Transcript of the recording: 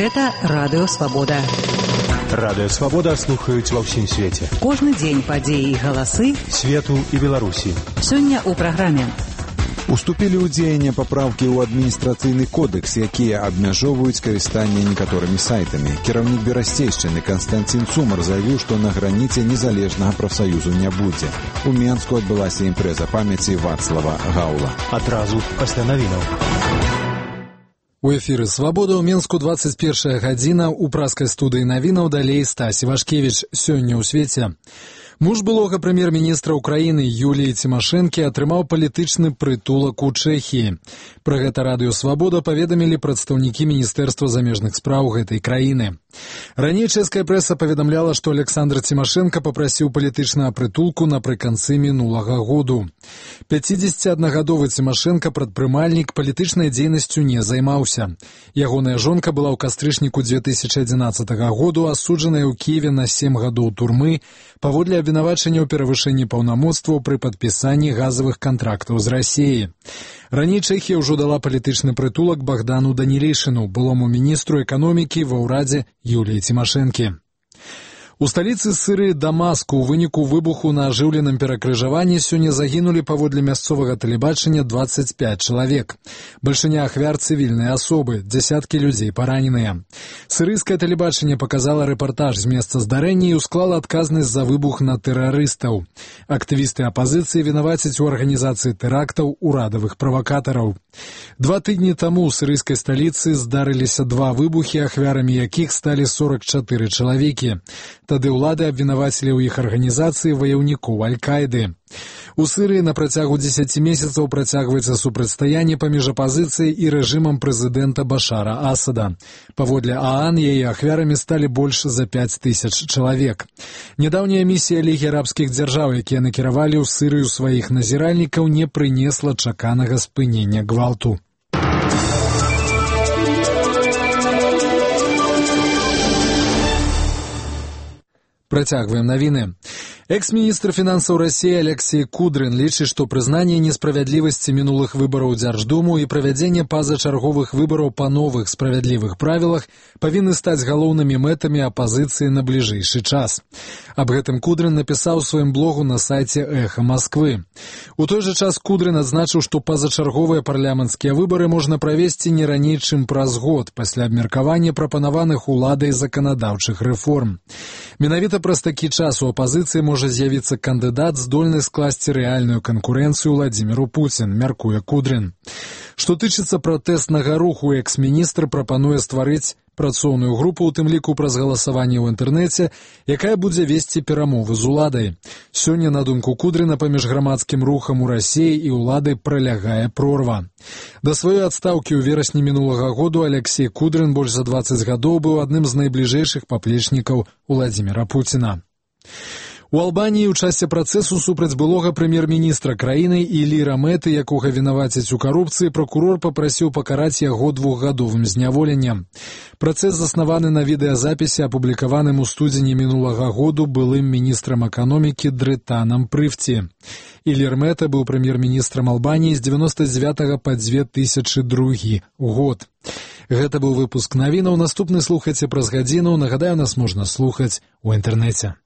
Гэта Радыё Свабода. Радыё Свабода слухаюць ва ўсім свеце. Кожны дзень падзеі і галасы свету і Беларусі. Сёння ў праграме. Уступілі ў дзеянне папраўкі ў адміністрацыйны кодекс, якія абмяжоўваюць карыстанне некаторымі сайтамі. Кіраўнік Берасцейшчыны Канстанцін Цумар заявіў, што на граніце незалежнага прафсаюзу не будзе. У Менску адбылася імпрэза памяці Вацлава Гаўла. Адразу пасля навінаў. У эфіры «Свабода» ў Менску 21 гадзіна. У праскай студыі навінаў далей Стась Івашкевіч. Сёння ў свеце. Муж былога прэм'ер-міністра ўкраіны Юліі Цімашэнкі атрымаў палітычны прытулак у Чэхіі. Пра гэта радыё «Свабода» паведамілі прадстаўнікі Міністэрства замежных спраў гэтай краіны. Раней чэшская прэса паведамляла, што Александр Цімашэнка папрасіў палітычнага прытулку напрыканцы мінулага году. 51-гадовы Цімашэнка, прадпрымальнік, палітычнай дзейнасцю не займаўся. Ягоная жонка была ў кастрычніку 2011 году асуджаная ў Кіеве на 7 гадоў турмы паводле абвінавачання ў перавышэнні паўнамоцтваў пры падпісанні газавых кантрактаў з Расіяй. Раней Чэхія ўжо дала палітычны прытулак Богдану Данілейшыну, былому міністру эканомікі ва ўрадзе Юліі Цімашэнкі. У сталіцы Сірыі Дамаску ў выніку выбуху на ажыўленым перакрыжаванні сёння загінулі паводле мясцовага тэлебачання 25 чалавек. Бальшыня ахвяр цывільныя асобы, дзясяткі людзей параненыя. Сірыйскае тэлебачанне паказала рэпартаж з месца здарэння і усклала адказнасць за выбух на тэрарыстаў. Актывісты апазіцыі вінавацяць у арганізацыі тэрактаў урадавых правакатараў. 2 тыдні таму ў сірыйскай сталіцы здарыліся 2 выбухі, ахвярамі якіх сталі 44 чалавекі. Тады ўлады абвінавацілі ў іх арганізацыі ваяўнікоў Аль-Каіды. У Сірыі на працягу 10 месяцаў працягваецца супрацьстаянне паміж апазіцыяй і рэжымам прэзідэнта Башара Асада. Паводле ААН яе ахвярамі сталі больш за 5000 чалавек. Нядаўняя місія Лігі арабскіх дзяржаў, якія накіравалі ў Сірыю сваіх назіральнікаў, не прынесла чаканага спынення гвалту. Працягваем навіны. Экс-міністр фінансаў Расіі Алексей Кудрин лічыць, што прызнанне несправядлівасці мінулых выбараў у Дзярждуму і правядзенне пазачарговых выбараў па новых справядлівых правілах павінны стаць галоўнымі мэтамі апазіцыі на бліжэйшы час. Аб гэтым Кудрин напісаў у сваім блогу на сайце «Эхо Москвы». У той жа час Кудрин адзначыў, што пазачарговыя парламенцкія выбары можна правесці не раней, чым праз год пасля абмеркавання прапанаваных уладай заканадаўчых рэформ. Менавіта праз такі час у апазіцыі можа з'явіцца кандыдат, здольны скласці рэальную канкурэнцыю Владзіміру Пуцін, мяркуе Кудрин. Што тычыцца пратэснага руху, экс-міністр прапануе стварыць працоўную групу, у тым ліку праз галасаванне ў інтэрнэце, якая будзе весці перамовы з уладай. Сёння, на думку Кудрина, паміж грамадскім рухам у Расіі і ўладай пралягае прорва. Да сваёй адстаўкі ў верасні мінулага году Алексей Кудрин больш за 20 гадоў быў адным з найбліжэйшых паплечнікаў Владзіміра Пуціна. У Албаніі ў часе працэсу супраць былога прэм'ер-міністра краіны Іліра Мэты, якога вінавацяць у карупцыі, пракурор папрасіў пакараць яго 2-гадовым зняволеннем. Працэс заснаваны на відэазапісе, апублікаваным у студзені мінулага году былым міністрам эканомікі Дрэтанам Прыфці. Ілір Мэта быў прэм'ер-міністрам Албаніі з 99 па 2002 год. Гэта быў выпуск навінаў. Наступны слухайце праз гадзіну. Нагадаю, нас можна слухаць у інтэрнэце.